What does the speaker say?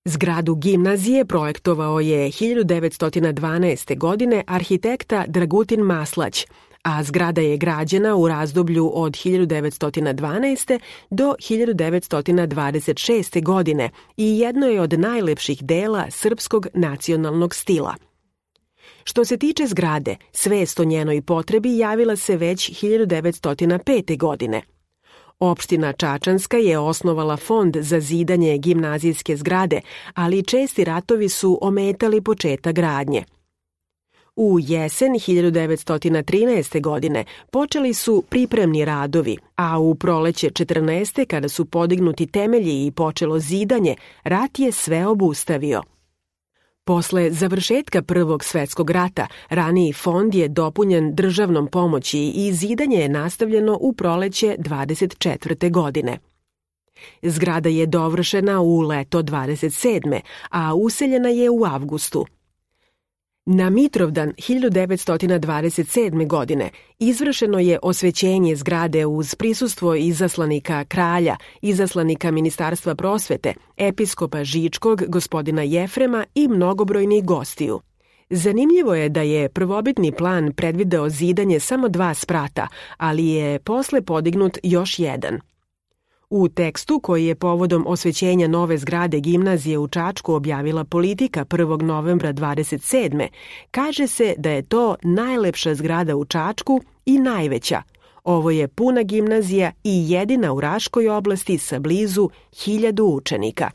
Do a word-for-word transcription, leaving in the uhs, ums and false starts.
Zgradu gimnazije projektovao je hiljadu devetsto dvanaeste. godine arhitekta Dragutin Maslać, a zgrada je građena u razdoblju od hiljadu devetsto dvanaeste. do hiljadu devetsto dvadeset šeste. godine i jedno je od najlepših dela srpskog nacionalnog stila. Što se tiče zgrade, svest o njenoj potrebi javila se već hiljadu devetsto pete. godine. Opština Čačanska je osnovala fond za zidanje gimnazijske zgrade, ali česti ratovi su ometali početak gradnje. U jesen hiljadu devetsto trinaeste. godine počeli su pripremni radovi, a u proleće četrnaeste. kada su podignuti temelji i počelo zidanje, rat je sve obustavio. Posle završetka Prvog svetskog rata, raniji fond je dopunjen državnom pomoći i zidanje je nastavljeno u proleće dvadeset četvrte. godine. Zgrada je dovršena u leto dvadeset sedme. a useljena je u avgustu. Na Mitrovdan hiljadu devetsto dvadeset sedme. godine izvršeno je osvećenje zgrade uz prisustvo izaslanika kralja, izaslanika Ministarstva prosvete, episkopa Žičkog, gospodina Jefrema i mnogobrojnih gostiju. Zanimljivo je da je prvobitni plan predvideo zidanje samo dva sprata, ali je posle podignut još jedan. U tekstu koji je povodom osvećenja nove zgrade gimnazije u Čačku objavila Politika prvog novembra dvadeset sedme. kaže se da je to najlepša zgrada u Čačku i najveća. Ovo je puna gimnazija i jedina u Raškoj oblasti sa blizu hiljadu učenika.